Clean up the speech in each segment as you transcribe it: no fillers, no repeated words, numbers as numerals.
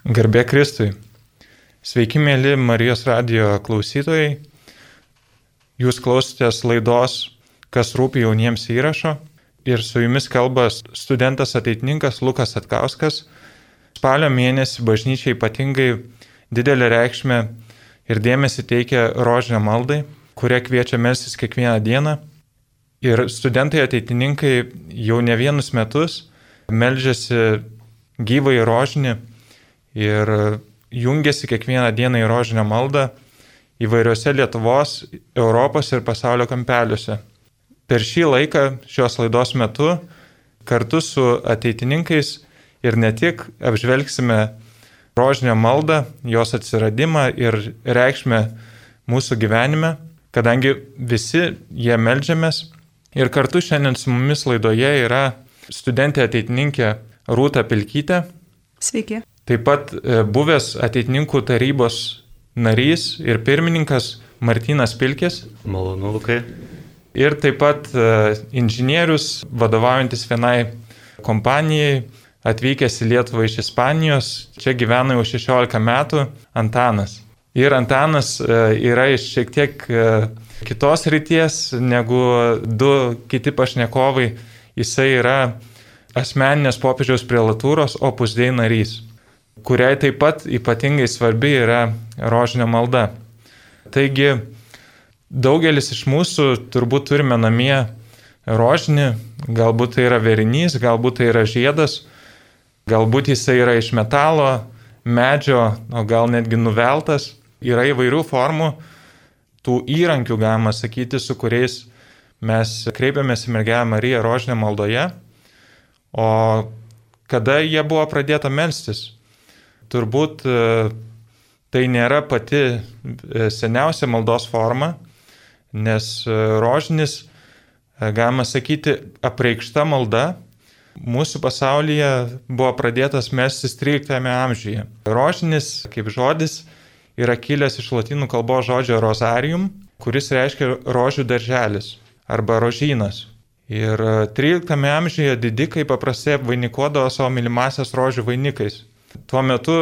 Garbė Kristui. Sveiki, mėly Marijos radijo klausytojai. Jūs klausotės laidos Kas rūpi jauniems įrašo ir su jumis kalba studentas ateitininkas Lukas Atkauskas. Spalio mėnesį bažnyčiai ypatingai didelę reikšmę ir dėmesį teikia rožinio maldai, kuria kviečia melstis kiekvieną dieną. Ir studentai ateitininkai jau ne vienus metus meldžiasi gyvai rožinį ir jungiasi kiekvieną dieną į rožinio maldą įvairiose Lietuvos, Europos ir pasaulio kampeliuose. Per šį laiką, šios laidos metu, kartu su ateitininkais ir ne tik apžvelgsime rožinio maldą, jos atsiradimą ir reikšmę mūsų gyvenime, kadangi visi jie meldžiamės. Ir kartu šiandien su mumis laidoje yra studentė ateitininkė Rūta Pilkytė. Sveiki. Taip pat buvęs ateitininkų tarybos narys ir pirmininkas Martynas Pilkis. Malonu, Lukai. Ir taip pat inžinierius, vadovaujantis vienai kompanijai, atvykęs į Lietuvą iš Ispanijos, čia gyvena jau 16 metų, Antanas. Ir Antanas yra iš šiek tiek kitos ryties negu du kiti pašnekovai. Jisai yra asmeninės popiežiaus prelatūros Opus Dei narys, kuriai taip pat ypatingai svarbi yra rožinio malda. Taigi, daugelis iš mūsų turbūt turime namie rožinį, galbūt tai yra vėrinys, galbūt tai yra žiedas, galbūt jisai yra iš metalo, medžio, o gal netgi nuveltas. Yra įvairių formų, tų įrankių, galima sakyti, su kuriais mes kreipiamės į Mergelę Mariją rožinio maldoje. O kada jie buvo pradėta melstis? Turbūt tai nėra pati seniausia maldos forma, nes rožinis, galima sakyti, apreikšta malda mūsų pasaulyje buvo pradėtas melstis 13 amžiuje. Rožinis, kaip žodis, yra kilęs iš lotynų kalbos žodžio rosarium, kuris reiškia rožių darželis arba rožynas. Ir 13 amžiuje didikai paprastai apvainikuodavo savo mylimasias rožių vainikais. Tuo metu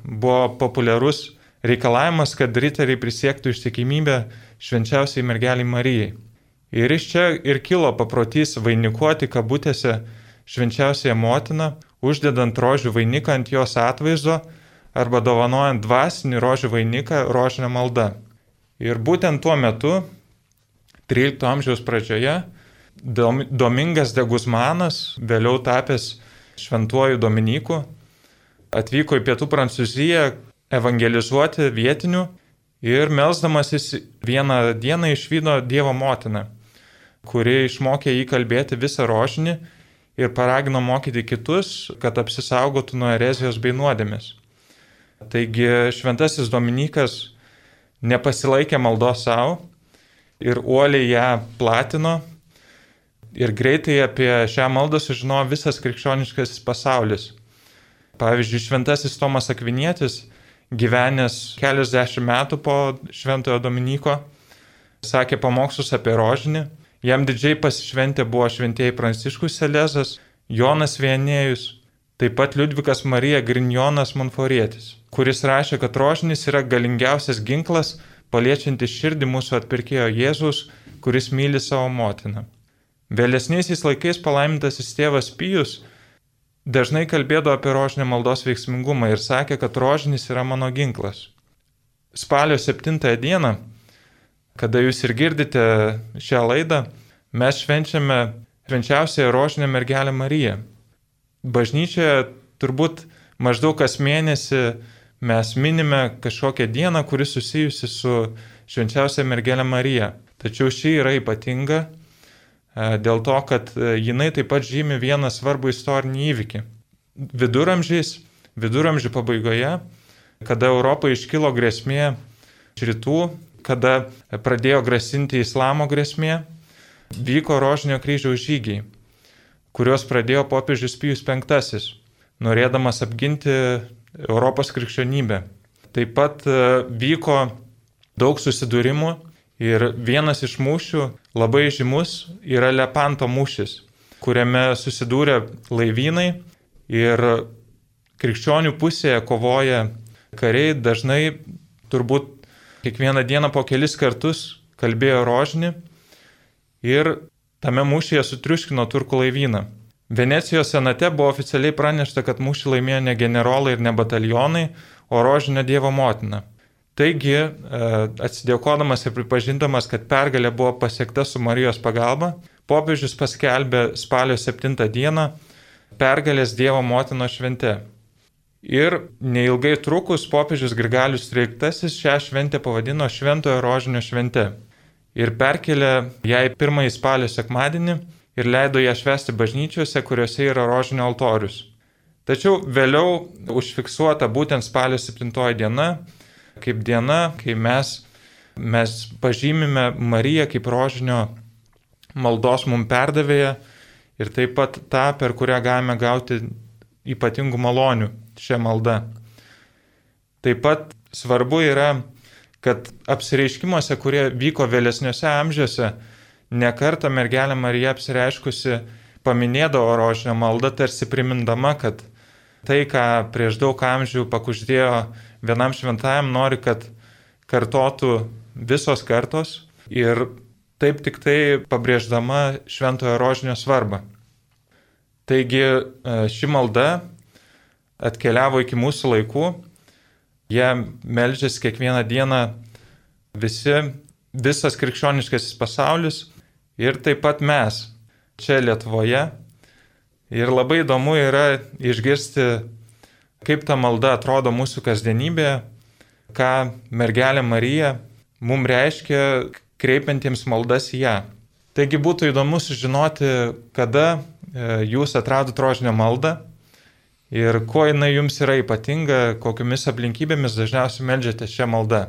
buvo populiarus reikalavimas, kad riteriai prisiektų ištikimybę švenčiausiai Mergelei Marijai. Ir iš čia ir kilo paprotys vainikuoti kabutėse švenčiausiąją motiną, uždedant rožių vainiką ant jos atvaizdo arba dovanojant dvasinį rožių vainiką rožinio malda. Ir būtent tuo metu, 13 amžiaus pradžioje, Domingas de Guzmanas, vėliau tapęs šventuoju Dominiku, atvyko į pietų Prancūziją evangelizuoti vietinių ir melsdamasis vieną dieną išvydo Dievo motiną, kuri išmokė jį kalbėti visą rožinį ir paragino mokyti kitus, kad apsisaugotų nuo erezijos bei nuodėmės. Taigi šventasis Dominikas nepasilaikė maldos savo ir uoliai ją platino. Ir greitai apie šią maldą sužinojo visas krikščioniškasis pasaulis. Pavyzdžiui, šventasis Tomas Akvinietis, gyvenęs keliasdešimt metų po šventojo Dominiko, sakė pamokslus apie rožinį. Jam didžiai pasišventę buvo šventieji Pranciškus Selezas, Jonas Vienėjus, taip pat Liudvikas Marija Grignonas Monforietis, kuris rašė, kad rožinis yra galingiausias ginklas, paliečiantis širdį mūsų atpirkėjo Jėzaus, kuris myli savo motiną. Vėlesniaisiais laikais palaimintasis tėvas Pijus dažnai kalbėdavo apie rožinio maldos veiksmingumą ir sakė, kad rožinis yra mano ginklas. Spalio 7 dieną, kada jūs ir girdite šią laidą, mes švenčiame švenčiausiąją rožinę Mergelę Mariją. Bažnyčioje turbūt maždaug kas mėnesį mes minime kažkokią dieną, kuri susijusi su švenčiausia Mergelė Marija. Tačiau ši yra ypatinga dėl to, kad jinai taip pat žymi vieną svarbų istorinį įvykį. Viduramžių pabaigoje, kada Europoje iškilo grėsmė iš rytų, kada pradėjo grasinti islamo grėsmė, vyko rožinio kryžiaus žygiai, kuriuos pradėjo popiežius Pijus V, norėdamas apginti Europos krikščionybę. Taip pat vyko daug susidūrimų. Ir vienas iš mūšių labai žymus yra Lepanto mūšis, kuriame susidūrė laivynai ir krikščionių pusėje kovoja kariai, dažnai turbūt kiekvieną dieną po kelis kartus kalbėjo rožinį ir tame mūšyje sutriuškino turkų laivyną. Venecijos senate buvo oficialiai pranešta, kad mūšį laimėjo ne generolai ir ne batalionai, o rožinio Dievo motina. Taigi, atsidėkodamas ir pripažindamas, kad pergalė buvo pasiekta su Marijos pagalba, popiežius paskelbė spalio 7 dieną pergalės Dievo motinos švente. Ir neilgai trukus popiežius Grigalius XIII šią šventę pavadino Šventojo rožinio švente. Ir perkelė jai 1 spalio sekmadienį ir leido ją švęsti bažnyčiose, kuriuose yra rožinio altorius. Tačiau vėliau užfiksuota būtent spalio 7 diena, kaip diena, kai mes pažymime Mariją kaip rožinio maldos mums perdavėją ir taip pat tą, per kurią galime gauti ypatingų malonių šią maldą. Taip pat svarbu yra, kad apsireiškimuose, kurie vyko vėlesniuose amžiuose, nekartą mergelė Marija apsireiškusi paminėdavo rožinio maldą, tarsi primindama, kad tai, ką prieš daug amžių pakuždėjo vienam šventajam, nori, kad kartotų visos kartos ir taip tik tai pabrėždama šventojo rožinio svarbą. Taigi ši malda atkeliavo iki mūsų laikų, jie meldžiasi kiekvieną dieną visas krikščioniškasis pasaulis ir taip pat mes čia Lietuvoje. Ir labai įdomu yra išgirsti, kaip ta malda atrodo mūsų kasdienybėje, ką mergelė Marija mums reiškia kreipiantiems maldas į ją. Taigi būtų įdomu sužinoti, kada jūs atradot rožinio maldą ir kuo jinai jums yra ypatinga, kokiamis aplinkybėmis dažniausiai meldžiate šią maldą.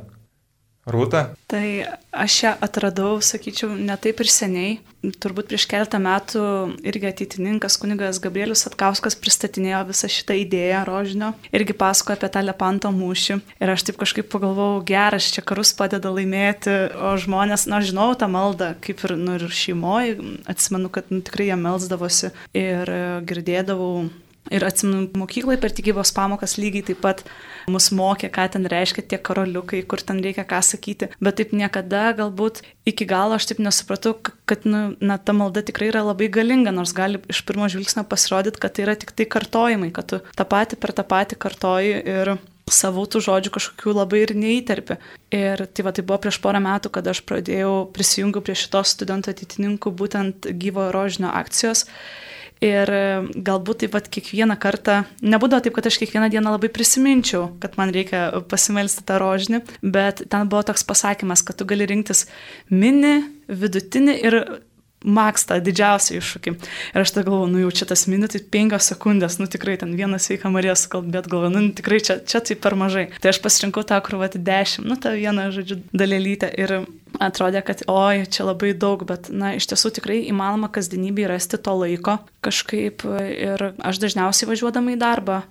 Rūta? Tai aš ją atradau, sakyčiau, ne taip ir seniai. Turbūt prieš keletą metų irgi ateitininkas kunigas Gabrielius Satkauskas pristatinėjo visą šitą idėją rožinio. Irgi pasakojo apie tą Lepanto mūšį. Ir aš taip kažkaip pagalvojau, geras, čia karus padeda laimėti, o žmonės, žinau tą maldą, kaip ir, ir šeimoje. Atsimenu, kad tikrai jie melsdavosi ir girdėdavau. Ir atsimenu, mokyklai per tikybos pamokas lygiai taip pat mus mokė, ką ten reiškia tie karoliukai, kur ten reikia ką sakyti. Bet taip niekada galbūt iki galo aš taip nesupratau, kad ta malda tikrai yra labai galinga, nors gali iš pirmo žvilgsnio pasirodyti, kad tai yra tik tai kartojimai, kad tu tą patį per tą patį kartoji ir savų tų žodžių kažkokių labai ir neįterpi. Ir tai buvo prieš porą metų, kada aš prisijungiau prie šitos studentų ateitininkų būtent gyvojo rožinio akcijos. Ir galbūt taip pat kiekvieną kartą, nebūdavo taip, kad aš kiekvieną dieną labai prisiminčiau, kad man reikia pasimelsti tą rožinį, bet ten buvo toks pasakymas, kad tu gali rinktis mini, vidutinį ir maks tą didžiausią iššūkį. Ir aš tai galvoju, jau čia tas minutė 5 sekundės, tikrai ten vieną sveiką Mariją sukalbėt, galvoju, tikrai čia tai per mažai. Tai aš pasirinkau tą, kur 10, tą vieną, dalelytę ir atrodė, kad čia labai daug, bet iš tiesų tikrai įmanoma kasdienybėje rasti to laiko kažkaip ir aš dažniausiai važiuodama į darbą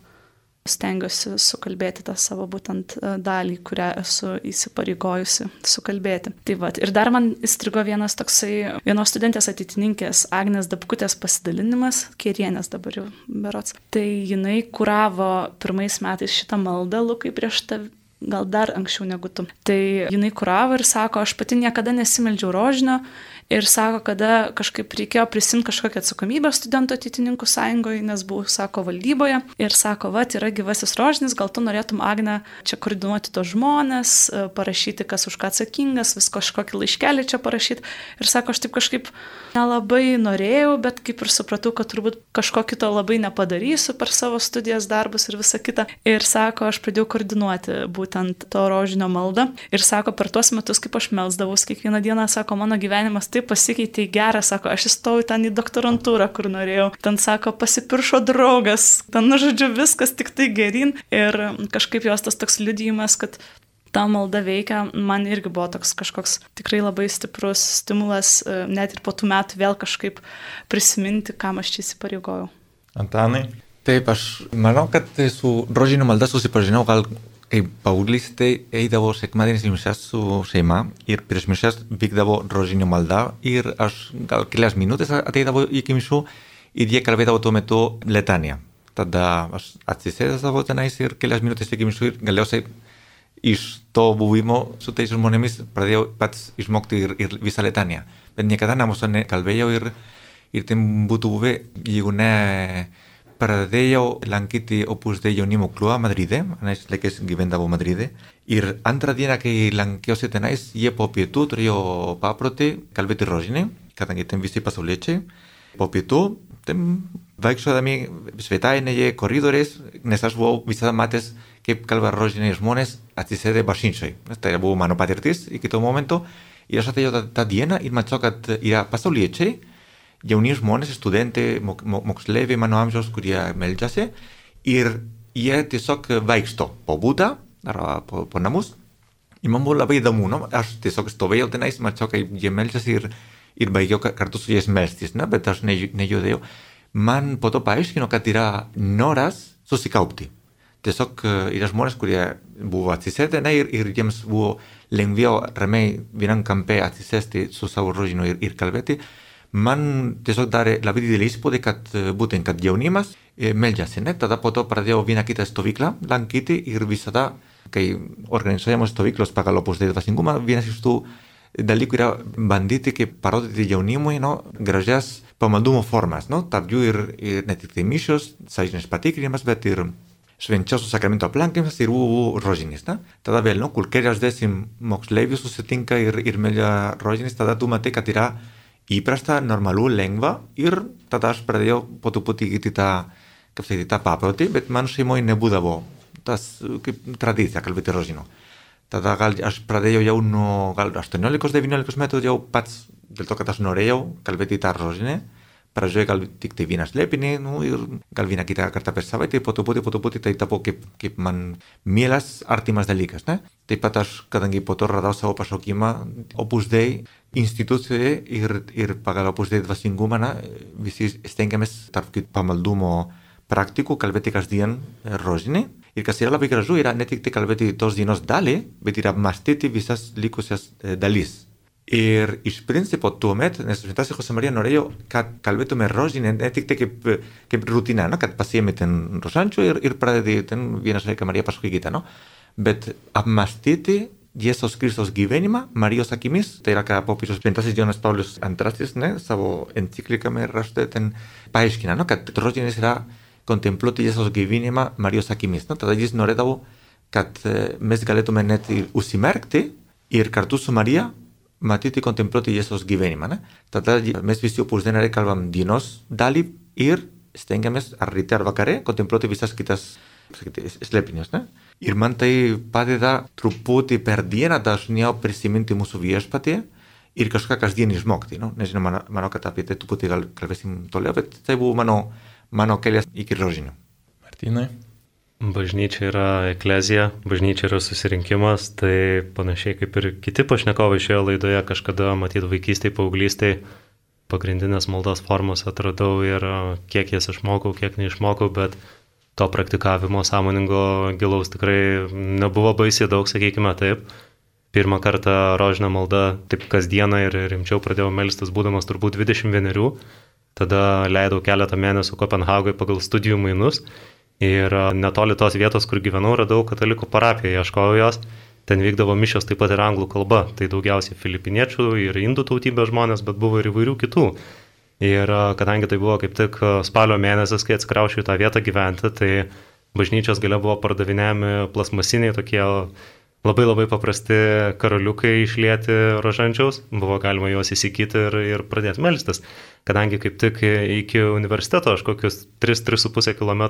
stengiuosi sukalbėti tą savo būtent dalį, kurią esu įsipareigojusi sukalbėti. Ir dar man įstrigo vienos studentės ateitininkės Agnės Dabkutės pasidalinimas, Kierienės dabar jau berods. Tai jinai kuravo 1 metais šitą maldą, Lukai, prieš tave, gal dar anksčiau negu tu. Tai jinai kuravo ir sako, aš pati niekada nesimeldžiau rožinio ir sako, kada kažkaip reikėjo prisimti kažkokią atsakomybę studentų ateitininkų sąjungoje, nes buvau, sako, valdyboje ir sako, yra gyvasis rožinis, gal tu norėtum, Agne, čia koordinuoti tos žmonės, parašyti, kas už ką atsakingas, vis kažkokį laiškelį čia parašyti. Ir sako, aš taip kažkaip nelabai norėjau, bet kaip ir supratau, kad turbūt kažko kito labai nepadarysiu per savo studijas, darbus ir visą kitą. Ir sako, aš pradėjau koordinuoti būtent to rožinio maldą. Ir sako, per tuos metus, kaip aš melsdavaus kiekvieną dieną, sako, mano gyvenimas taip pasikeitė į gerą, sako, aš įstojau ten į doktorantūrą, kur norėjau. Ten, sako, pasipiršo draugas, ten, viskas tik tai geryn. Ir kažkaip jos tas toks liudijimas, kad ta malda veikia, man irgi buvo toks kažkoks tikrai labai stiprus stimulas, net ir po tų metų vėl kažkaip prisiminti, kam aš čia įsipareigojau. Antanai? Taip, aš manau, kad su rožinio malda susipažinau gal kai paauglystėj eidavo sekmadienis į mišias su šeima ir prieš mišias vykdavo rožinio malda ir aš gal kelias minutės ateidavo iki mišių ir jie kalbėdavo tuo metu letaniją. tada aš atsisėdęsdavau tenais ir kelias minutės iki mišių ir galiausiai iš to buvimo su tais žmonėmis pradėjau pats išmokti ir visą litaniją. Bet niekada namuose nekalbėjau ir ten būtų buvę, jeigu ne pradėjau lankyti Opus Dei jaunimo klubą Madride, anais laikais gyvendavau Madride, ir antrą dieną, kai lankiausi tenais, jie po pietų turėjo paprotį kalbėti rožinį, kadangi ten visi pasauliečiai. Po pietų ten vaikščiodami svetainėje, koridoriais, nes aš buvau visada matęs, kaip kalba rožiniai žmonės atsisėdę bažnyčioj. Tai buvo mano patirtis iki to momento. Ir aš atėjau tą dieną ir mačiau, kad yra pasauliečiai, jauni žmonės, studentai, moksleiviai mano amžiaus, kurie meldžiasi. Ir jie tiesiog vaikšto po butą ar po namus. Ir man buvo labai įdomu, no? Aš tiesiog stovėjau tenais, mačiau, kaip jie meldžiasi ir baigiau kartu su jais melstis, no? Bet aš nejudėjau. Man po to paaiškino, kad yra noras susikaupti. Tiesiog yra žmonės, kurie buvo atsisėdę ir jiems buvo lengviau ramiai vienam kampe atsisėsti su savo rožiniu ir kalbėti. Man tiesiog darė labai didelį įspūdį, kad jaunimas meldžiasi. Tada po to pradėjau vieną kitą stovyklą lankyti ir visada, kai organizuojamos stovyklos pagal Opus Dei dvasingumą, vienas iš tų dalykų yra bandyti kaip parodyti jaunimui gražias pamaldumo formas. Tarp jų ir ne tik tai mišios, sąžinės patikrinimas, bet ir švenčiausių sakramento aplankymas ir rožinis. Tada vėl, kur keliasdešimt moksleivių susitinka ir meldžia rožinis, tada tu matai, kad yra įprasta, normalu, lengva ir tada aš pradėjau po truputį įgyti tą paprotį, bet man šeimoje nebūdavo tas kaip tradicija kalbėti rožiniu. Tada aš pradėjau jau nuo 18-19 metų jau pats, dėl to, kad aš norėjau kalbėti tą rožinį. Pradžioje gal tik tai vieną slėpinį ir gal vieną kitą kartą per savaitę, po truputį tai tapo kaip man mielas, artimas dalykas. Taip pat aš, kadangi po to radau savo pašaukimą Opus Dei institucijoje ir pagal Opus Dei dvasingumą, visi stengiamės tarp pamaldumo praktikų kalbėti kasdien rožinį. Ir kas yra labai gražu, yra ne tik tai kalbėti tos dienos dalį, bet ir apmąstyti visas likusias dalis. Ir iš principo tuomet, nes šventasis José María norėjo, kad kalbėtume rožinį, ne tik tai kaip rutina, kad pasiemi ten rožančių ir pradedi ten vieną šveiką Mariją paskui kitą, bet apmąstyti Jėzaus Kristaus gyvenimą Marijos akimis, tai yra, ką popiežius šventasis Jonas Paulius II savo enciklikame rašte ten paaiškina, kad rožinis yra kontempluoti Jėzaus gyvenimą Marijos akimis. Tada jis norėdavo, kad mes galėtume net užsimerkti ir kartu su Marija matyti, kontempluoti Jėzaus gyvenimą. Tada mes visi Opus Dei nariai kalbam dienos dalį ir stengiamės ar ryte ar vakare kontempluoti visas kitas slėpinius. Ir man tai padeda truputį per dieną dažniau prisiminti mūsų viešpatį ir kažką kasdien išmokti. Nežinau, manau, kad apie tai truputį gal kalbėsim toliau, bet tai buvo mano kelias iki rožinių. Martynai? Bažnyčia yra eklezija, bažnyčia yra susirinkimas, tai panašiai kaip ir kiti pašnekovai šioje laidoje kažkada matyti vaikystėje, paauglystėje pagrindinės maldos formos atradau ir kiek jas išmokau, kiek neišmokau, bet to praktikavimo sąmoningo gilaus tikrai nebuvo baisiai daug, sakykime taip. Pirmą kartą rožinę maldą taip kasdieną ir rimčiau pradėjau melstis būdamas turbūt 21, tada leidau keletą mėnesių Kopenhagoje pagal studijų mainus. Ir netoli tos vietos, kur gyvenau, radau katalikų parapiją, ieškojau jos. Ten vykdavo mišios taip pat ir anglų kalba. Tai daugiausiai filipiniečių ir indų tautybės žmonės, bet buvo ir įvairių kitų. Ir kadangi tai buvo kaip tik spalio mėnesis, kai atsikraušiau į tą vietą gyventi, tai bažnyčios gale buvo pardavinėjami plasmasiniai tokie labai labai paprasti karoliukai išlieti rožančiaus. Buvo galima juos įsigyti ir pradėti melstis. Kadangi kaip tik iki universiteto aš kokius 3,5 km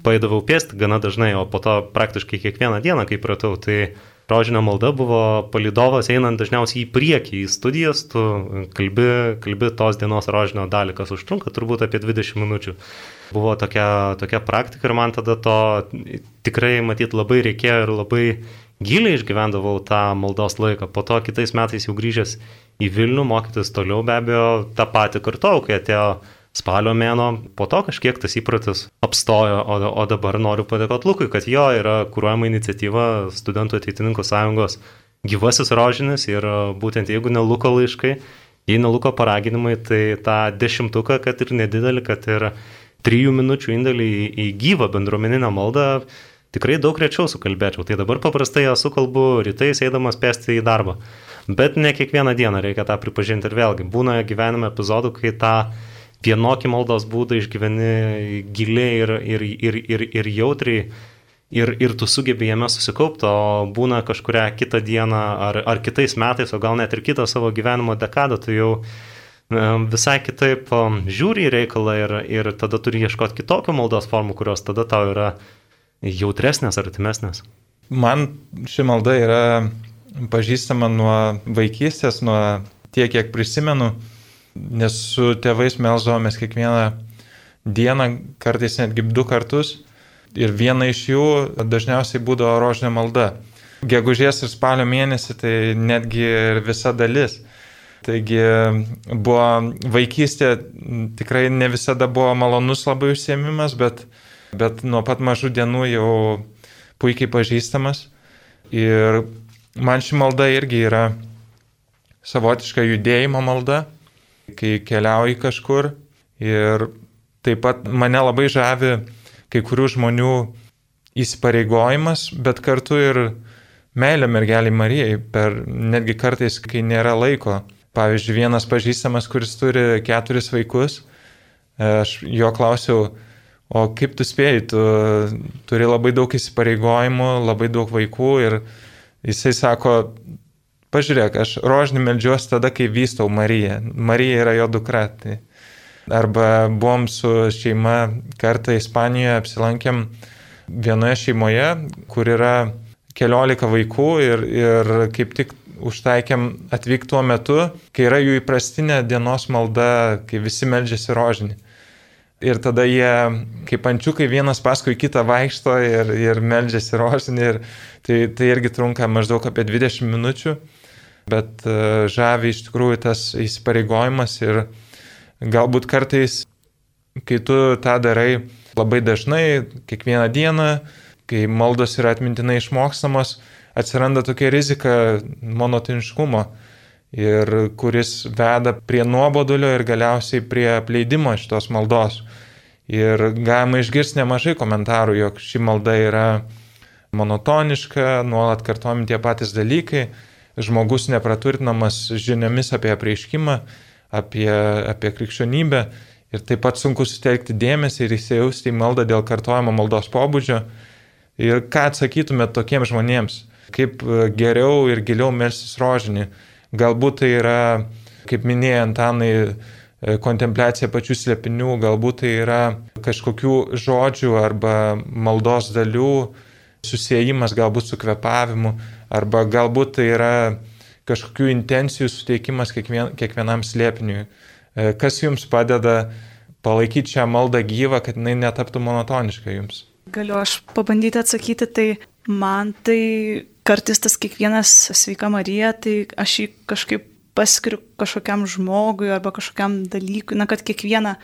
paeidavau pėsti gana dažnai, o po to praktiškai kiekvieną dieną, kai pratau, tai rožinio malda buvo palydovas einant dažniausiai į priekį, į studijas, tu kalbi tos dienos rožinio dalį, kas užtrunka turbūt apie 20 minučių. Buvo tokia praktika ir man tada to tikrai matyt labai reikėjo ir labai giliai išgyvendavau tą maldos laiką. Po to kitais metais jau grįžęs į Vilnių mokytis toliau, be abejo, tą patį kartojau, kai atėjo spalio mėnuo, po to kažkiek tas įpratis apstojo, o dabar noriu padėkoti Lukui, kad jo yra kuruojama iniciatyva Studentų ateitininkų sąjungos gyvasis rožinis ir būtent jeigu ne Luko laiškai, jei ne Luko paraginimai, tai tą 10, kad ir nedidelį, kad ir 3 minučių indėlį į gyvą bendruomeninę maldą tikrai daug rečiau sukalbėčiau. Tai dabar paprastai ją sukalbu rytais eidamas pėsti į darbą. Bet ne kiekvieną dieną reikia tą pripažinti ir vėlgi. Būna gyvenime epizodų, kai tą vienokį maldos būdą išgyveni giliai ir jautriai ir tu sugebi jame susikaupti, o būna kažkurią kitą dieną ar kitais metais, o gal net ir kitą savo gyvenimo dekadą, tu jau visai kitaip žiūri į reikalą ir tada turi ieškoti kitokių maldos formų, kurios tada tau yra jautresnės ar artimesnės. Man ši malda yra pažįstama nuo vaikystės, nuo tiek, kiek prisimenu, nes su tėvais melsdavomės kiekvieną dieną, kartais netgi 2 kartus. Ir viena iš jų dažniausiai būdavo rožinė malda. Gegužės ir spalio mėnesį tai netgi ir visa dalis. Taigi buvo vaikystė, tikrai ne visada buvo malonus labai užsiėmimas, bet nuo pat mažų dienų jau puikiai pažįstamas. Ir man ši malda irgi yra savotiška judėjimo malda, kai keliauji kažkur. Ir taip pat mane labai žavi kai kurių žmonių įsipareigojimas, bet kartu ir meilė mergelei Marijai, netgi kartais, kai nėra laiko. Pavyzdžiui, vienas pažįstamas, kuris turi 4 vaikus, aš jo klausiau, o kaip tu spėjai, tu turi labai daug įsipareigojimų, labai daug vaikų ir jisai sako, pažiūrėk, aš rožinį meldžiuosi tada, kai vystau Mariją. Marija yra jo dukra. Tai. Arba buvom su šeima kartą Ispanijoje, apsilankėm vienoje šeimoje, kur yra 14 vaikų ir kaip tik užtaikėm atvykti tuo metu, kai yra jų įprastinė dienos malda, kai visi meldžiasi rožinį. Ir tada jie kaip ančiukai vienas paskui kitą vaikšto ir meldžiasi rožinį. Tai irgi trunka maždaug apie 20 minučių, bet žavi iš tikrųjų tas įsipareigojimas ir galbūt kartais, kai tu tą darai labai dažnai, kiekvieną dieną, kai maldos yra atmintinai išmokstamos, atsiranda tokia rizika monotoniškumo, ir kuris veda prie nuobodulio ir galiausiai prie apleidimo šitos maldos. Ir galima išgirsti nemažai komentarų, jog ši malda yra monotoniška, nuolat kartojami tie patys dalykai, žmogus nepraturtinamas žiniomis apie apreiškimą, apie krikščionybę ir taip pat sunku sutelkti dėmesį ir įsijausti į maldą dėl kartojimo maldos pobūdžio. Ir ką atsakytumėt tokiems žmonėms? Kaip geriau ir giliau melstis rožinį? Galbūt tai yra, kaip minėjai Antanai, kontempliacija pačių slėpinių, galbūt tai yra kažkokių žodžių arba maldos dalių susiejimas galbūt su kvėpavimu, arba galbūt tai yra kažkokių intencijų suteikimas kiekvienam slėpiniui. Kas jums padeda palaikyti šią maldą gyvą, kad jinai netaptų monotoniška jums? Galiu aš pabandyti atsakyti, tai man tai kartais tas kiekvienas sveika Marija, tai aš jį kažkaip paskiriu kažkokiam žmogui arba kažkokiam dalykui, kad kiekvieną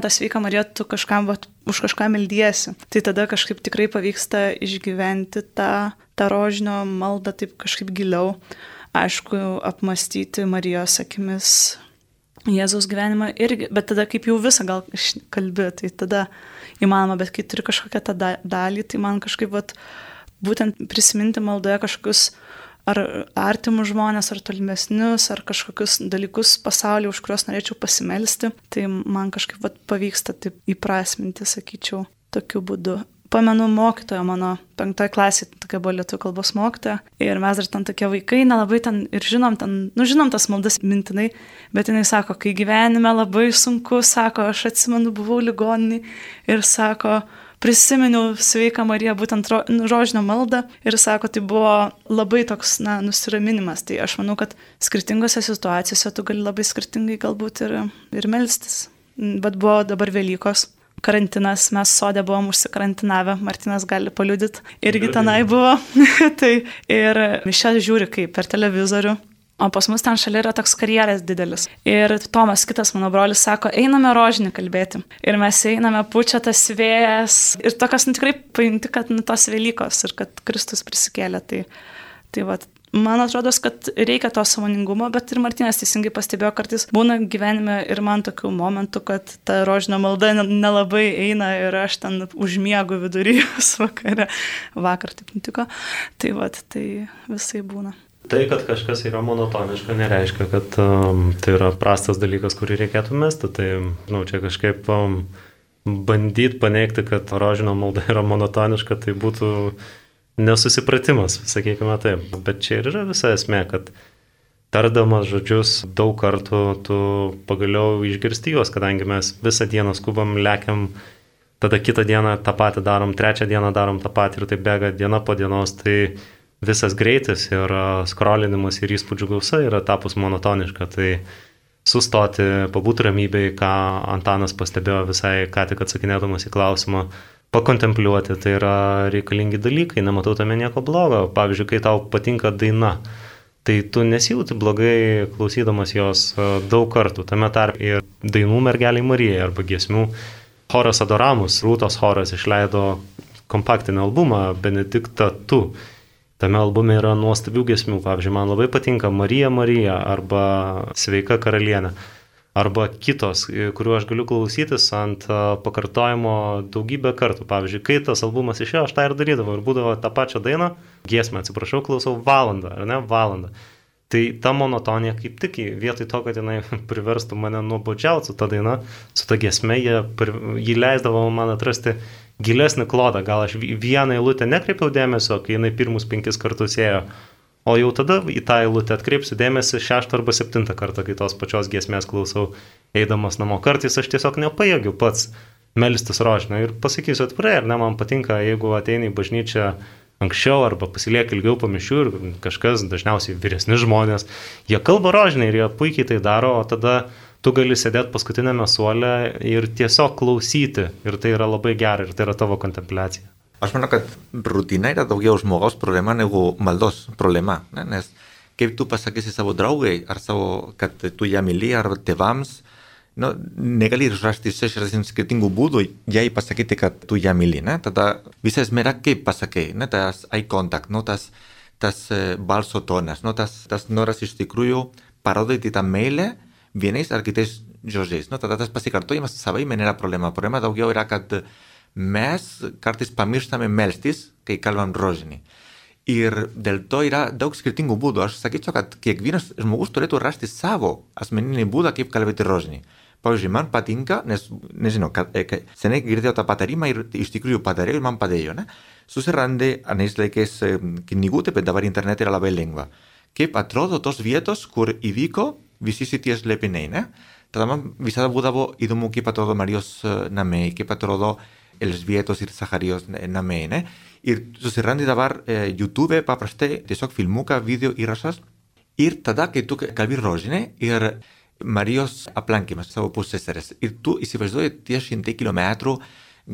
tą sveiką Mariją tu už kažką meldiesi. Tai tada kažkaip tikrai pavyksta išgyventi tą rožinio maldą taip kažkaip giliau. Aišku, apmastyti Marijos akimis Jėzaus gyvenimą irgi, bet tada kaip jau visą gal kalbi, tai tada įmanoma, bet kai turi kažkokią tą dalį, tai man kažkaip būtent prisiminti maldoje kažkokius ar artimus žmonės, ar tolimesnius, ar kažkokius dalykus pasaulyje, už kuriuos norėčiau pasimelsti, tai man kažkaip pavyksta taip įprasminti, sakyčiau, tokiu būdu. Pamenu mokytoją mano 5 klasėje, tokia buvo lietuvių kalbos mokytoja, ir mes dar ten tokie vaikai, nelabai ten ir žinom tas maldas mintinai, bet jinai sako, kai gyvenime labai sunku, sako, aš atsimenu, buvau ligoninėj ir sako, prisiminiau sveiką Mariją, būtent rožinio maldą, ir sako, tai buvo labai toks, nusiraminimas. Tai aš manau, kad skirtingose situacijose tu gali labai skirtingai galbūt ir melstis. Bet buvo dabar Velykos. Karantinas, mes sode buvom užsikarantinavę, Martinas gali paliudyti, irgi tenai buvo. Tai ir mišias žiūri kaip per televizorių, o pas mus ten šalia yra toks karjeras didelis. Ir Tomas, kitas mano brolis, sako, einame rožinį kalbėti. Ir mes einame, pučia tas vėjas ir tokios tikrai paimti, kad tos Velykos ir kad Kristus prisikėlė. Tai Man atrodo, kad reikia to sąmoningumo, bet ir Martynas teisingai pastebėjo, kartais būna gyvenime ir man tokių momentų, kad ta rožinio malda nelabai eina ir aš ten užmiegu vidury vakare. Vakar taip nutiko. Tai visai būna. Tai, kad kažkas yra monotoniška, nereiškia, kad tai yra prastas dalykas, kurį reikėtų mesti. Tai, čia kažkaip bandyti paneigti, kad rožinio malda yra monotoniška, tai būtų nesusipratimas, sakykime taip. Bet čia ir yra visa esmė, kad tardamas žodžius daug kartų tu pagaliau išgirsti juos, kadangi mes visą dieną skubam, lekiam, tada kitą dieną tą patį darom, trečią dieną darom tą patį ir tai bėga diena po dienos, tai visas greitis ir skrolinimas ir įspūdžių gausa yra tapus monotoniška, tai sustoti, pabūti ramybėj, ką Antanas pastebėjo visai ką tik atsakinėdamas į klausimą, pakontempliuoti, tai yra reikalingi dalykai, nematau tame nieko blogo. Pavyzdžiui, kai tau patinka daina, tai tu nesijauti blogai klausydamas jos daug kartų, tame tarp ir dainų Mergelei Marijai arba giesmių. Choras Adoramus, Rūtos choras išleido kompaktinį albumą Benedikta tu. Tame albume yra nuostabių giesmių, pavyzdžiui, man labai patinka Marija Marija arba Sveika karalienė, arba kitos, kuriuo aš galiu klausytis ant pakartojimo daugybę kartų. Pavyzdžiui, kai tas albumas išėjo, aš tą ir darydavau ir būdavo tą pačią dainą, giesmę, klausau valandą, ar ne, valandą. Tai ta monotonija kaip tik vietoj to, kad jinai priverstų mane nuobodžiauti su ta daina, su ta giesme, jį leisdavo man atrasti gilesnį klodą, gal aš vieną eilutę nekreipiau dėmesio, kai jinai pirmus 5 kartus ėjo, o jau tada į tą eilutę atkreipsiu dėmesį 6 arba 7 kartą, kai tos pačios giesmės klausau eidamas namo. Kartais aš tiesiog nepajėgiu pats melstis rožinio ir pasakysiu atvirai, ar ne, man patinka, jeigu ateini į bažnyčią anksčiau arba pasilieka ilgiau po mišių ir kažkas, dažniausiai vyresni žmonės, jie kalba rožinį ir jie puikiai tai daro, o tada tu gali sėdėti paskutinėme suole ir tiesiog klausyti. Ir tai yra labai gera, ir tai yra tavo kontempliacija. Aš manau, kad rutina yra daugiau žmogaus problema negu maldos problema. Ne? Nes kaip tu pasakysi savo draugai, ar kad tu ją myli, ar tėvams, negali rasti 60 skirtingų būdų jai pasakyti, kad tu ją myli. Ne? Tada visa esmė yra kaip pasakai, ne? Tas eye contact, tas balso tonas, tas noras iš tikrųjų parodyti tą meilę vienais ar kitais žodžiais. Tada tas pasikartojimas savaime nėra problema. Problema daugiau yra, kad mes kartais pamirštame melstis, kai kalbam rožinį. Ir dėl to yra daug skirtingų būdų. Aš sakyčiau, kad kiekvienas žmogus turėtų rasti savo asmeninį būdą, kaip kalbėti rožinį. Pavyzdžiui, man patinka, nes nežinau, seniai girdėjau tą patarimą ir iš tikrųjų padariau ir man padėjo. Ne? Susirandi anais laikais knygutę, bet dabar internete yra labai lengva. Kaip atrodo tos vietos, kur įvyko visi šitie slėpiniai, ne? Tada man visada būdavo įdomu, kaip atrodo Marijos namai, kaip atrodo Elžbietos ir Zacharijos namai, ne? Ir susirandi dabar YouTube paprastai tiesiog filmuką, video įrašas. Ir tada, kai tu kalbi rožinį ir Marijos aplankymas savo pusseserės, ir tu įsivaizduoji tie 100 kilometrų,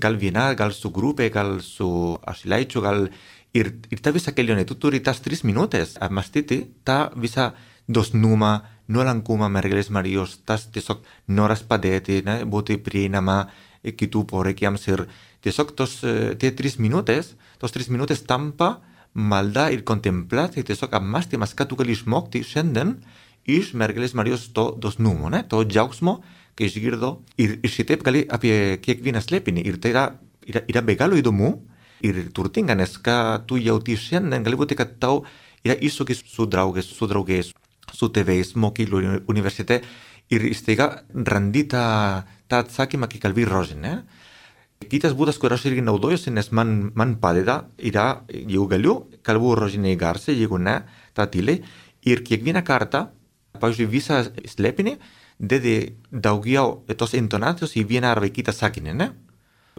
gal viena, gal su grupė, gal su ašilaičiu, gal... Ir ta visa kelionė, tu turi tas 3 minutės apmastyti tą visą dosnumą, nuolankumą Mergelės Marijos, tas tiesiog noras padėti, ne, būti prieinama kitų poreikiams ir tiesiog tie 3 minutės tampa malda ir kontemplacija, tiesiog apmąstymas, ką tu gali išmokti šiandien iš Mergelės Marijos to dosnumo, ne, to džiaugsmo, kai išgirdo ir šitaip gali apie kiekvieną slėpinį ir tai yra be galo įdomu ir turtinga, nes ką tu jauti šiandien, gali būti, kad tau yra iššūkis su draugais, su tėvais, mokyklų, universitete ir staiga randi tą atsakymą, kai kalbi rožinį. Kitas būdas, kur aš irgi naudojusi, nes man padeda, yra, jeigu galiu, kalbu rožinį garsiai, jeigu ne, tą tyliai. Ir kiekvieną kartą, pavyzdžiui, visą slėpinį, dedi daugiau tos intonacijos į vieną arba kitą sakinį, ne?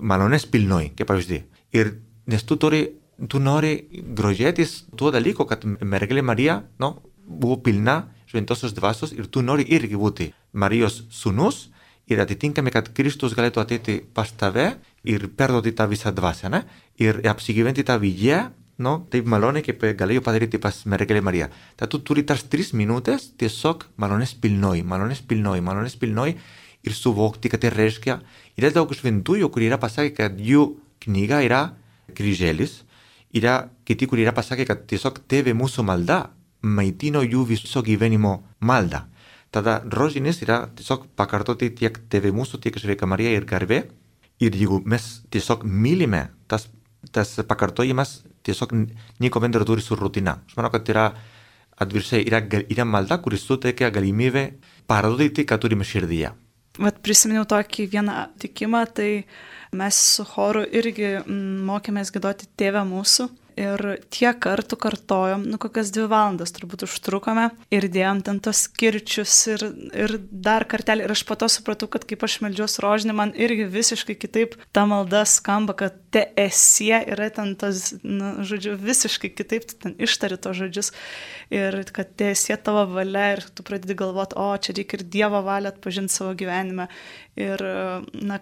Malonės pilnoj, kaip pavyzdį. Ir nes tu nori grožėtis tuo dalyko, kad Mergelė Marija buvo pilna šventosios dvasios ir tu nori irgi būti Marijos sūnus ir atitinkami, kad Kristus galėtų ateiti pas tave ir perduoti tą visą dvasią, ne? Ir apsigyventi tą vidėje, taip maloniai, kaip galėjo padaryti pas Mergelė Marija. Tad tu turi tas 3 minutės tiesiog malonės pilnoj ir suvokti, kad tai reiškia. Yra daug šventųjų, kurie yra pasakę, kad jų knyga yra kryželis, yra kiti, kurie yra pasakę, kad tiesiog tėvė mūsų malda maitino jų viso gyvenimo maldą. Tada rožinis yra tiesiog pakartoti tiek Tėve mūsų, tiek Sveika Marija ir garbė. Ir jeigu mes tiesiog mylime, tas pakartojimas tiesiog nieko bendro turi su rutina. Aš manau, kad yra atvirkščiai, yra malda, kuris suteikia galimybę parodyti, ką turime širdyje. Vat prisiminiau tokį vieną tikimą, tai mes su choru irgi mokėmės giedoti Tėvę mūsų. Ir tiek kartų kartojom, kokias 2 valandas turbūt užtrukome ir dėjom ten tos kirčius ir dar kartelį. Ir aš po to supratau, kad kaip aš meldžiuos rožinį, man irgi visiškai kitaip ta malda skamba, kad te esie yra ten tas, žodžiu, visiškai kitaip tu ten ištari tos žodžius. Ir kad te esie tavo valia ir tu pradedi galvoti, čia reikia ir Dievo valią atpažinti savo gyvenime. Ir,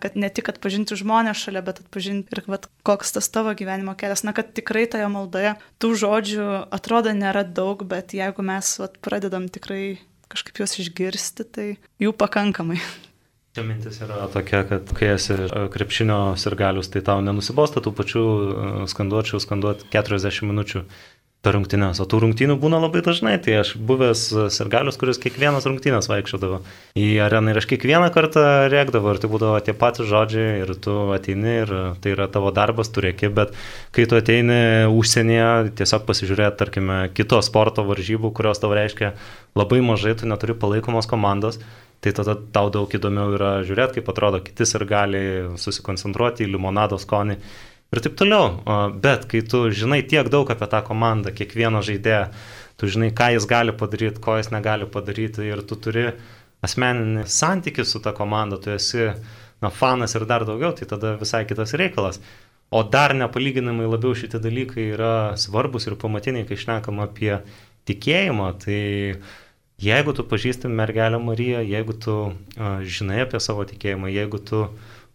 kad ne tik atpažinti žmonės šalia, bet atpažinti ir koks tas tavo gyvenimo kelias. Kad tikrai toje maldoje tų žodžių atrodo nėra daug, bet jeigu mes pradedam tikrai kažkaip juos išgirsti, tai jų pakankamai. Čia mintis yra tokia, kad kai esi krepšinio sirgalius, tai tau nenusibosta tų pačių skanduoti 40 minučių per rungtynes. O tų rungtynių būna labai dažnai. Tai aš buvęs sirgalius, kuris kiekvienas rungtynės vaikščiodavo į areną ir aš kiekvieną kartą rėkdavo ir tai būdavo tie patys žodžiai ir tu ateini ir tai yra tavo darbas, tu rėki, bet kai tu ateini užsienyje, tiesiog pasižiūrėti, tarkime, kito sporto varžybų, kurios tau reiškia labai mažai, tu neturi palaikomos komandos, tai tada tau daug įdomiau yra žiūrėti, kaip atrodo kiti sirgaliai, susikoncentruoti į limonado skonį. Ir taip toliau, bet kai tu žinai tiek daug apie tą komandą, kiekvieną žaidėją, tu žinai, ką jis gali padaryti, ko jis negali padaryti ir tu turi asmeninį santykį su ta komanda, tu esi fanas ir dar daugiau, tai tada visai kitas reikalas. O dar nepalyginamai labiau šitie dalykai yra svarbus ir pamatiniai, kai šnekam apie tikėjimą, tai jeigu tu pažįsti mergelę Mariją, jeigu tu žinai apie savo tikėjimą, jeigu tu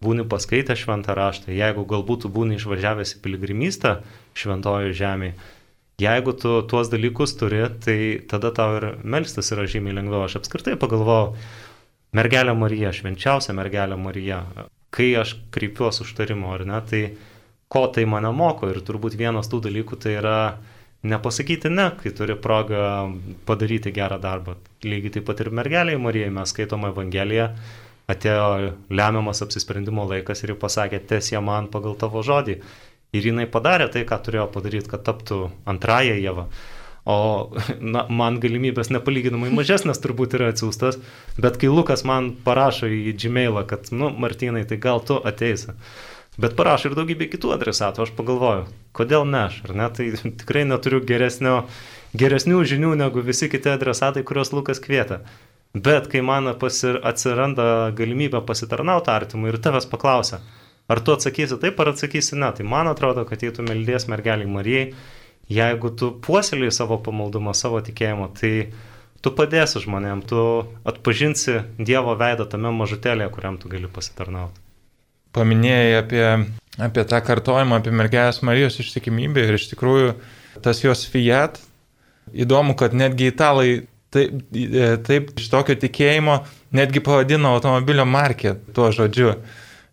būni paskaitę šventą raštą, jeigu galbūt tu būni išvažiavęs į piligrimystę šventojo žemėje, jeigu tu tuos dalykus turi, tai tada tau ir melstis yra žymiai lengviau. Aš apskritai pagalvojau, mergelė Marija, švenčiausia mergelė Marija, kai aš kreipiuosi užtarimo, ar ne, tai ko tai mane moko ir turbūt vienas tų dalykų tai yra nepasakyti ne, kai turi progą padaryti gerą darbą. Lygiai taip pat ir mergelėje Marijai mes skaitome Evangeliją, atėjo lemiamas apsisprendimo laikas ir ji pasakė, teesie man pagal tavo žodį. Ir jinai padarė tai, ką turėjo padaryti, kad taptų antrąją Ievą. O man galimybės nepalyginamai mažesnės turbūt yra atsiųstas, bet kai Lukas man parašo į Gmailą, kad, Martynai, tai gal tu ateisi. Bet parašo ir daugybė kitų adresatų, aš pagalvoju, kodėl ne aš, ar ne? Tai tikrai neturiu geresnių žinių negu visi kiti adresatai, kuriuos Lukas kvietė. Bet kai man atsiranda galimybė pasitarnauti artimui ir tavęs paklausia, ar tu atsakysi taip, ar atsakysi ne, tai man atrodo, kad jei tu meldies mergeliai Marijai, jeigu tu puoselėjai savo pamaldumą, savo tikėjimą, tai tu padėsi žmonėm, tu atpažinsi Dievo veidą tame mažutėlėje, kuriam tu gali pasitarnauti. Paminėjai apie tą kartojimą, apie mergelės Marijos ištikimybę ir iš tikrųjų tas jos fiat, įdomu, kad netgi italai taip iš tokio tikėjimo netgi pavadino automobilio markę tuo žodžiu.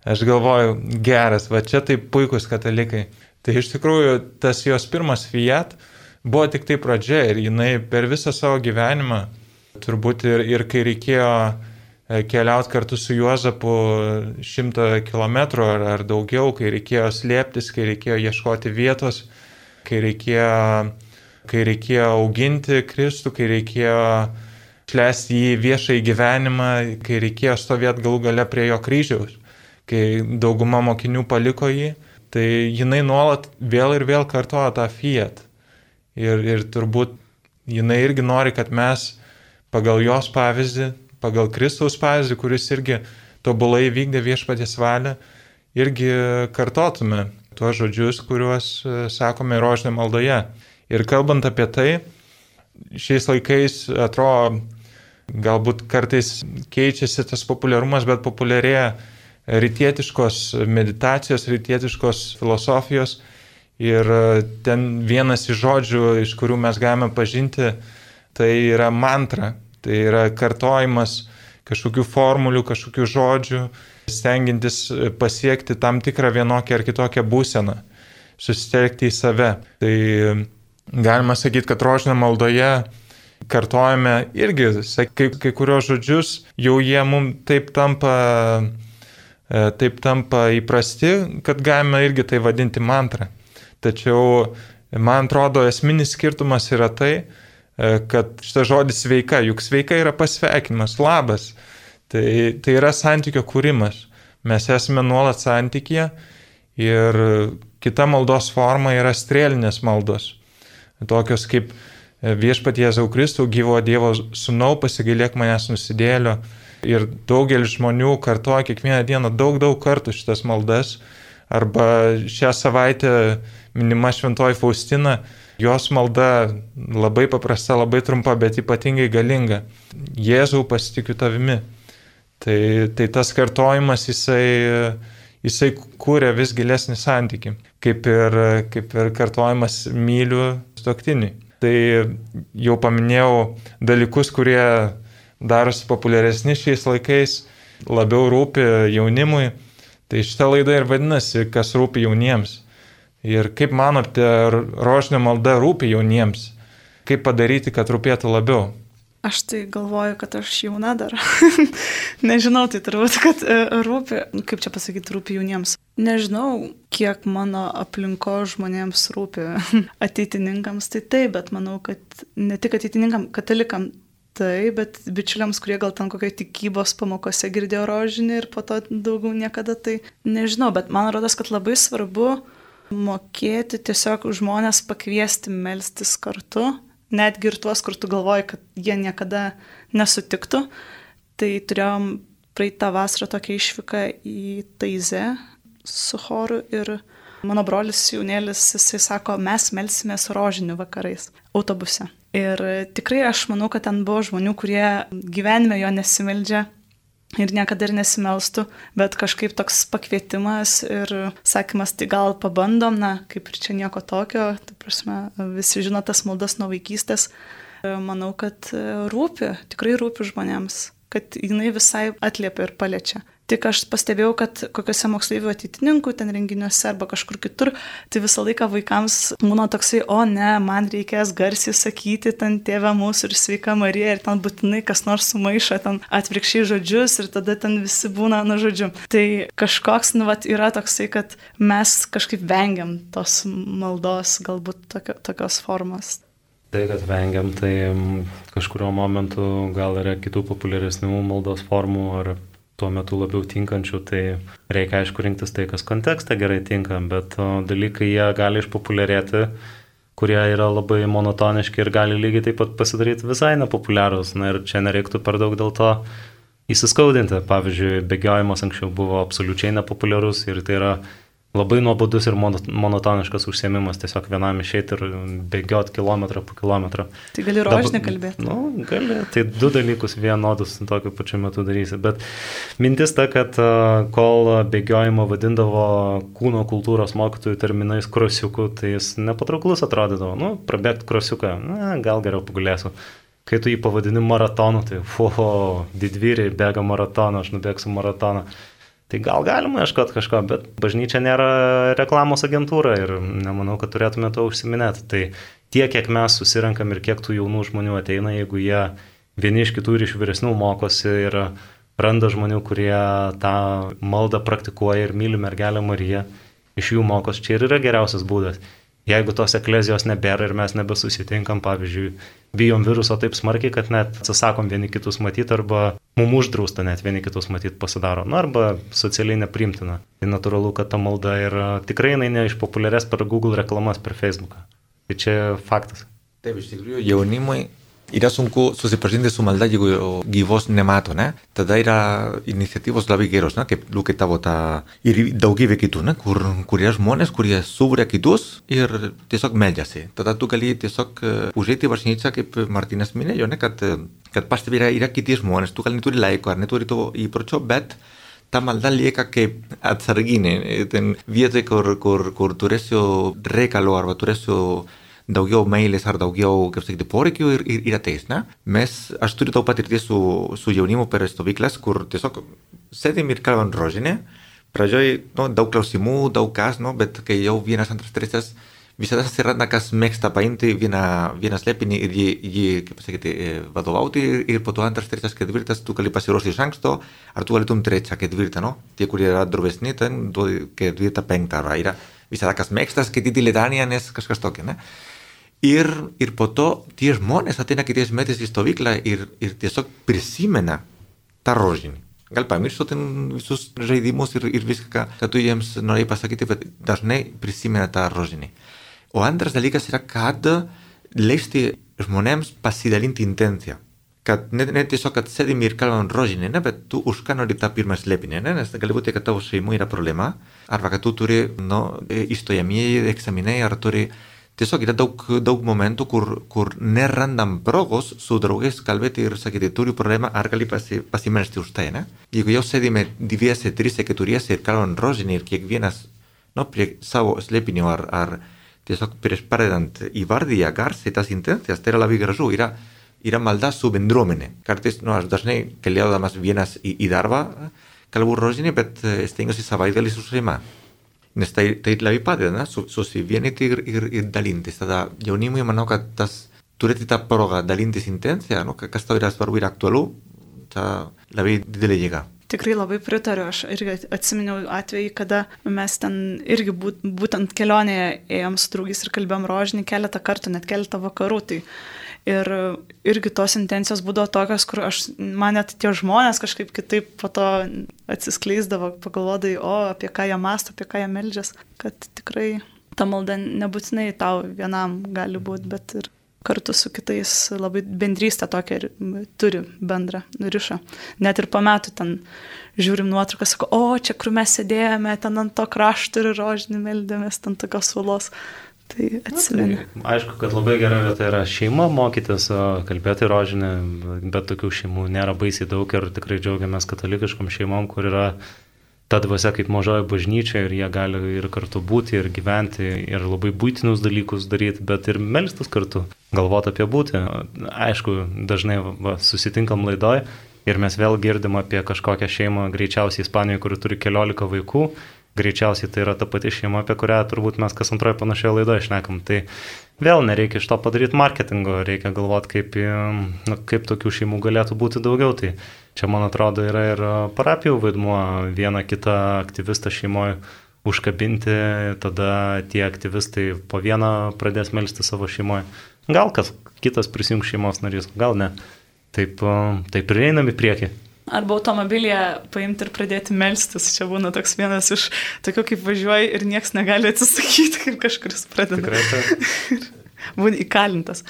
Aš galvoju, geras, va čia taip puikus katalikai. Tai iš tikrųjų tas jos pirmas fiat buvo tik tai pradžia ir jinai per visą savo gyvenimą, turbūt ir kai reikėjo keliauti kartu su Juozapu 100 kilometrų ar daugiau, kai reikėjo slėptis, kai reikėjo ieškoti vietos, kai reikėjo auginti Kristų, kai reikėjo šlęsti į viešąjį gyvenimą, kai reikėjo stovėti galų gale prie jo kryžiaus, kai dauguma mokinių paliko jį, tai jinai nuolat vėl ir vėl kartoja tą fiat. Ir turbūt jinai irgi nori, kad mes pagal jos pavyzdį, pagal Kristaus pavyzdį, kuris irgi tobulai vykdė viešpaties valią, irgi kartotume tuos žodžius, kuriuos sakome rožinio maldoje. Ir kalbant apie tai, šiais laikais atrodo, galbūt kartais keičiasi tas populiarumas, bet populiarėja rytietiškos meditacijos, rytietiškos filosofijos. Ir ten vienas iš žodžių, iš kurių mes galime pažinti, tai yra mantra. Tai yra kartojimas kažkokių formulių, kažkokių žodžių, stengiantis pasiekti tam tikrą vienokią ar kitokią būseną, susitelkti į save. Tai galima sakyti, kad rožinio maldoje kartojame irgi kai kurios žodžius, jau jie mums taip tampa įprasti, kad galime irgi tai vadinti mantra. Tačiau, man atrodo, esminis skirtumas yra tai, kad šitas žodis sveika, juk sveika yra pasveikinimas, labas. Tai yra santykio kūrimas. Mes esame nuolat santykyje ir kita maldos forma yra strėlinės maldos. Tokios kaip Viešpatie Jėzau Kristau, gyvo Dievo sūnau, pasigailėk manęs nusidėlio. Ir daugelis žmonių kartoja kiekvieną dieną daug kartų šitas maldas. Arba šią savaitę minima Šventoji Faustina, jos malda labai paprasta, labai trumpa, bet ypatingai galinga. Jėzau, pasitikiu tavimi. Tai tas kartojimas, jisai kūrė vis gilesnį santykį, kaip ir kartojimas myliu sutuoktinį. Tai jau paminėjau dalykus, kurie darosi populiaresni šiais laikais, labiau rūpi jaunimui. Tai šitą laidą ir vadinasi, kas rūpi jauniems. Ir kaip manote, rožinio malda rūpi jauniems? Kaip padaryti, kad rūpėtų labiau? Aš tai galvoju, kad aš jauna dar. Nežinau, tai turbūt, kad rūpi, kaip čia pasakyti, rūpi jauniems. Nežinau, kiek mano aplinko žmonėms rūpi ateitininkams, tai taip, bet manau, kad ne tik ateitininkam, katalikam tai, bet bičiuliams, kurie gal ten kokio tikybos pamokose girdėjo rožinį ir po to daugiau niekada, tai nežinau, bet man rodos, kad labai svarbu mokėti tiesiog žmonės pakviesti melstis kartu, netgi ir tuos, kur tu galvoji, kad jie niekada nesutiktų. Tai turėjom praeitą vasarą tokią išvyką į Taizę su choru ir mano brolis jaunėlis, jisai sako, mes melsimės rožinių vakarais autobuse. Ir tikrai aš manau, kad ten buvo žmonių, kurie gyvenime jo nesimeldžia ir niekada ir nesimelstų, bet kažkaip toks pakvietimas ir sakymas, tai gal pabandom, kaip ir čia nieko tokio, tai prasme, visi žino tas maldas nuo vaikystės. Manau, kad rūpi, tikrai rūpi žmonėms, kad jinai visai atliepia ir paliečia. Tik aš pastebėjau, kad kokiuose moksleivių ateitininkų ten renginiuose arba kažkur kitur, tai visą laiką vaikams būna toksai, o ne, man reikės garsiai sakyti ten Tėve mūsų ir Sveika Marija ir ten būtinai kas nors sumaišo ten atvirkščiai žodžius ir tada ten visi būna žodžiu. Tai kažkoks, yra toksai, kad mes kažkaip vengiam tos maldos, galbūt tokios formos. Tai, kad vengiam, tai kažkurio momentu gal yra kitų populiaresnių maldos formų ar tuo metu labiau tinkančių, tai reikia aišku rinktis tai, kas kontekste gerai tinka, bet dalykai jie gali išpopuliarėti, kurie yra labai monotoniški ir gali lygiai taip pat pasidaryti visai nepopuliarūs. Ir čia nereiktų per daug dėl to įsiskaudinti. Pavyzdžiui, bėgiojimas anksčiau buvo absoliučiai nepopuliarus ir tai yra labai nuobodus ir monotoniškas užsiėmimas, tiesiog vienam išeiti ir bėgioti kilometrą po kilometrą. Tai gali rožinį kalbėti? Gali. Tai du dalykus vienodus tokiu pačiu metu darysi. Bet mintis ta, kad kol bėgiojimą vadindavo kūno kultūros mokytojų terminais krosiuku, tai jis nepatrauklus atrodydavo. Prabėgti krosiuką, gal geriau pagulėsiu. Kai tu jį pavadini maratonu, tai didvyriai bėga maratoną, aš nubėgsiu maratoną. Tai gal galima ieškoti kažko, bet bažnyčia nėra reklamos agentūra ir nemanau, kad turėtume to užsiminėti. Tai tiek, kiek mes susirenkam ir kiek tų jaunų žmonių ateina, jeigu jie vieni iš kitų ir iš vyresnių mokosi ir randa žmonių, kurie tą maldą praktikuoja ir myli mergelę Mariją, iš jų mokos, čia ir yra geriausias būdas. Jeigu tos eklezijos nebėra ir mes nebesusitinkam, pavyzdžiui, bijom viruso taip smarkiai, kad net atsisakom vieni kitus matyti arba mum uždrausta net vieni kitus matyti pasidaro, arba socialiai nepriimtina. Tai natūralu, kad ta malda yra tikrai neišpopuliarės per Google reklamas, per Facebooką. Tai čia faktas. Taip, iš tikrųjų, jaunimui yra sunku susipažinti su malda, jeigu gyvos nemato, ne? Tada yra iniciatyvos labai geros, ne? Kaip Liukai tavo ir daugybė kitų, ne? Kur yra žmonės, kurie suburia kitus ir tiesiog meldžiasi. Tada tu gali tiesiog užeiti į bažnyčią, kaip Martynas minėjo, ne? Kad pastebi yra kiti žmonės, tu gal neturi laiko ar neturi to įpročio, bet ta malda lieka kaip atsarginė. Ten vietoj, kur turėsiu reikalo arba turėsiu daugiau meilės ar daugiau, kaip sakyti, poreikių ir ateis, ne? Aš turiu daug patirties su jaunimu per stovyklas, kur tiesiog sėdim ir kalbam rožinę. Pradžioj, daug klausimų, daug kas, bet kai jau vienas, antras, trečias visada atsiranda, kas mėgsta paimti vieną slėpinį ir jį kaip pasakyti, vadovauti ir po to antras, trečias, ketvirtas, tu gali pasiruošti iš anksto, ar tu galėtum trečią, ketvirtą, no? Tie, kurie yra drovesni, ten duodi ketvirtą, penktą, arba yra visada, kas mėgsta skaityti litaniją, nes kažkas tokio, ne? Ir po to tie žmonės ateina kitais metais į stovyklą ir tiesiog prisimena tą rožinį. Gal pamirštu ten visus žaidimus ir viską, ką tu jiems norėjai pasakyti, bet dažnai prisimena tą rožinį. O antras dalykas yra, kad leisti žmonėms pasidalinti intenciją. Kad ne tiesiog, kad sėdim ir kalbam rožinį, ne, bet tu už ką nori tą pirmą slėpinį, ne, nes gali būti, kad tavo šeimų yra problema, arba kad tu turi, įstojamieji egzaminai, ar turi. Tiesiog yra daug momentų, kur nerandam progos su draugais kalbėti ir sakyti, turiu problemą, ar gali pasimelsti už tai, ne? Jeigu jau sėdime dviese, trise, keturiese ir kalbam rožinį ir kiekvienas, prie savo slėpinio ar tiesiog prieš pradedant įvardyja garsiai tas intencijas, tai yra labai gražu, yra malda su bendruomenė. Kartais, aš dažnai keliaudamas vienas į darbą, kalbu rožinį, bet stengiuosi savaitgalį su šeima. Nes tai labai padeda, susivienyti ir dalintis. Tada jaunimui manau, kad turėti tą progą dalintis intenciją, kas tau yra svarbu ir aktualu, ta labai didelė jėga. Tikrai labai pritariu, aš irgi atsiminiau atvejį, kada mes ten irgi būtent kelionėje ėjom su draugais ir kalbėjom rožinį keletą kartų, net keletą vakarų. Tai ir irgi tos intencijos būdavo tokios, kur man net tie žmonės kažkaip kitaip po to atsiskleisdavo, pagalvodai, apie ką jie mąsto, apie ką jie meldžias, kad tikrai ta malda nebūtinai tau vienam gali būti, bet ir kartu su kitais labai bendrystę tokią turi bendrą ryšą. Net ir po metų ten žiūrim nuotrauką, sako, čia kur mes sėdėjome, ten ant to krašto ir rožinį meldėmės, ten tokios suolos. Tai atsimenu. Aišku, kad labai gera vieta yra šeima mokytis, kalbėti rožinį, bet tokių šeimų nėra baisiai daug ir tikrai džiaugiamės katalikiškom šeimom, kur yra ta dvasia kaip mažoji bažnyčia ir jie gali ir kartu būti, ir gyventi, ir labai būtinus dalykus daryti, bet ir melstis kartu, galvoti apie būti. Aišku, dažnai susitinkam laidoj ir mes vėl girdim apie kažkokią šeimą, greičiausiai Ispanijoje, kuri turi 14 vaikų. Greičiausiai tai yra ta pati šeima, apie kurią turbūt mes kas antroje panašioje laidoje šnekam. Tai vėl nereikia iš to padaryti marketingo, reikia galvoti, kaip tokių šeimų galėtų būti daugiau. Tai čia, man atrodo, yra ir parapijų vaidmuo, vieną kitą aktyvistą šeimoje užkabinti, tada tie aktyvistai po vieną pradės melsti savo šeimoje. Gal kas kitas prisijungs šeimos narys, gal ne. Taip ir einam į priekį. Arba automobilyje paimti ir pradėti melstis. Čia būna toks vienas iš tokių, kaip važiuoji ir nieks negali atsisakyti, kaip kažkuris pradeda. Tikrai tai. Būni įkalintas.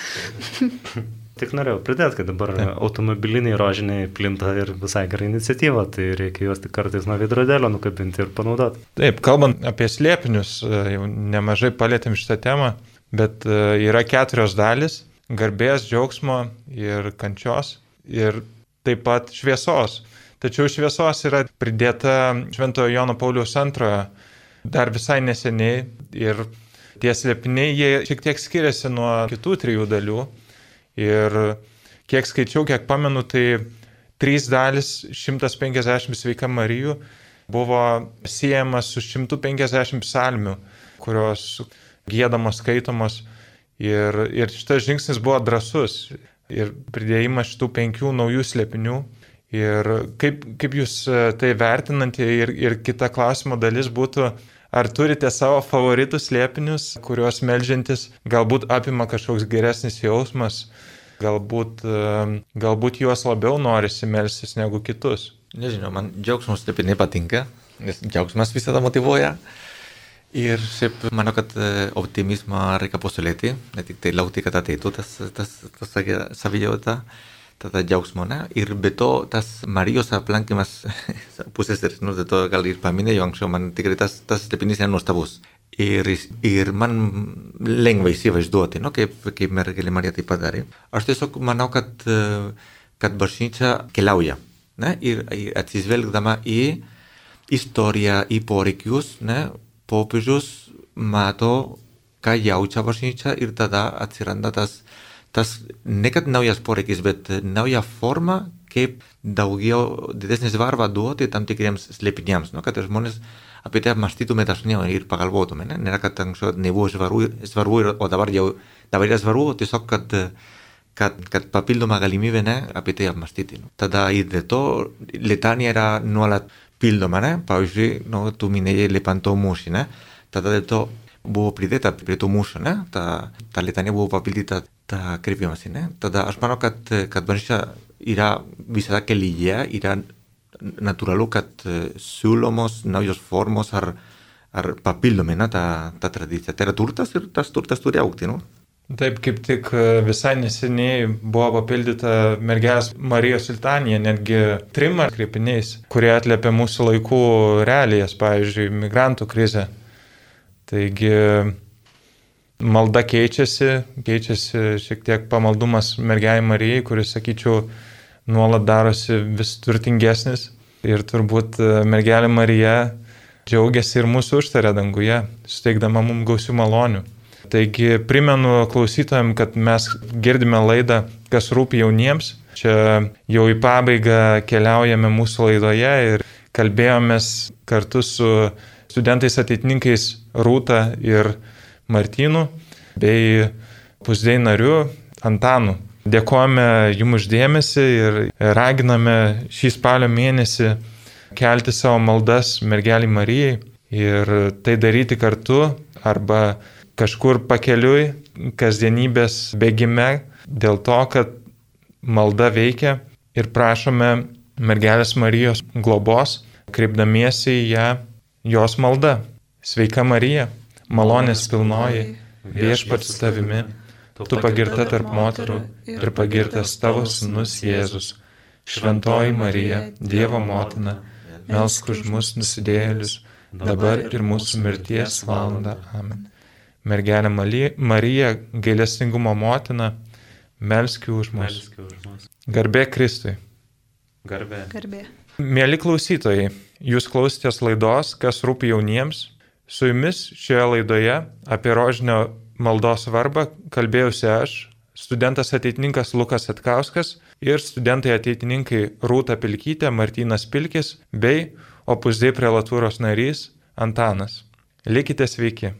Tik norėjau pridėti, kad dabar automobiliniai rožiniai plinta ir visai gera iniciatyva, tai reikia juos tik kartais nuo veidrodėlio nukabinti ir panaudoti. Taip, kalbant apie slėpinius, jau nemažai palėtėm šitą temą, bet yra 4 dalis – garbės, džiaugsmo ir kančios ir taip pat šviesos. Tačiau šviesos yra pridėta Šventojo Jono Pauliaus II dar visai neseniai ir tie slėpiniai, jie šiek tiek skiriasi nuo kitų 3 dalių. Ir kiek skaičiau, kiek pamenu, tai 3 dalis 150 Sveika Marijų buvo siejamas su 150 psalmių, kurios giedamos, skaitomos. Ir šitas žingsnis buvo drąsus. Ir pridėjimas šitų 5 naujų slėpinių. Ir kaip jūs tai vertinate ir kita klausimo dalis būtų, ar turite savo favoritų slėpinius, kuriuos meldžiantis galbūt apima kažkoks geresnis jausmas, galbūt juos labiau norisi melstis negu kitus? Nežinau, man džiaugsmo slėpiniai patinka, nes džiaugsmas visada motyvuoja. Ir šiaip manau, kad optimizmą reikia puoselėti, ne tik tai laukti, kad ateitų tas savijauta, tada džiaugsmo, ne? Ir be to tas Marijos aplankymas pusseserės, dėl to gal ir paminėjau anksčiau, man tikrai tas slėpinys yra nuostabus. Ir man lengva įsivaizduoti, kaip mergelė Marija tai padarė. Aš tiesiog manau, kad bažnyčia keliauja, ne? Ir atsižvelgdama į istoriją, į poreikius, ne? Popiežius mato, ką jaučia bažnyčia ir tada atsiranda tas ne kad naujas poreikis, bet nauja forma, kaip daugiau didesnį svarbą duoti tam tikriems slėpiniams, kad žmonės apie tai apmąstytume dažniau ir pagalvotume. Ne? Nėra, kad anksčiau nebuvo svarbu, o dabar yra svarbu, tiesiog, kad papildoma galimybė, ne, apie tai apmąstyti. No? Tada ir de to, letanija yra nuolat pildoma, ne? Pavyzdžiui, no, tu minėjai lepantau mūšį, ne? Tada de to buvo pridėta prie to mūšio, ne? Ta letanija buvo papildyta ta kreipimasi, ne? Tada aš manau, kad bažnyčia yra visada kelyje, yra natūralu, kad siūlomos naujos formos ar papildome, ne, ta tradicija. Tai yra turtas ir tas turtas turi augti, no? Taip, kaip tik visai neseniai buvo papildyta mergelės Marijos litanija, netgi 3 kreipiniais, kurie atliepia mūsų laikų realijas, pavyzdžiui, migrantų krizę. Taigi malda keičiasi šiek tiek pamaldumas mergelei Marijai, kuris, sakyčiau, nuolat darosi vis turtingesnis. Ir turbūt mergelė Marija džiaugiasi ir mūsų užtarė danguje, suteikdama mums gausių malonių. Taigi primenu klausytojams, kad mes girdime laidą, kas rūpi jauniems. Čia jau į pabaigą keliaujame mūsų laidoje ir kalbėjomės kartu su studentais ateitininkais Rūta ir Martynu bei pusdei nariu Antanu. Dėkojame jums uždėmesį ir raginame šį spalio mėnesį kelti savo maldas mergelei Marijai ir tai daryti kartu arba kažkur pakeliui, kasdienybės bėgime, dėl to, kad malda veikia ir prašome mergelės Marijos globos, kreipdamiesi į ją jos malda. Sveika Marija, malonės pilnoji, viešpats su tavimi, tu pagirta tarp moterų ir pagirtas tavo sūnus Jėzus. Šventoji Marija, Dievo motina, melsk už mus nusidėjėlius, dabar ir mūsų mirties valandą. Amen. Mergelė Marija, gailestingumo motina, melski už mus. Garbė Kristui. Garbė. Mėly klausytojai, jūs klausėtės laidos, kas rūpi jauniems. Su jumis šioje laidoje apie rožinio maldos svarbą kalbėjausi aš, studentas ateitininkas Lukas Atkauskas ir studentai ateitininkai Rūta Pilkytė, Martynas Pilkis bei Opus Dei prelatūros narys Antanas. Likite sveiki.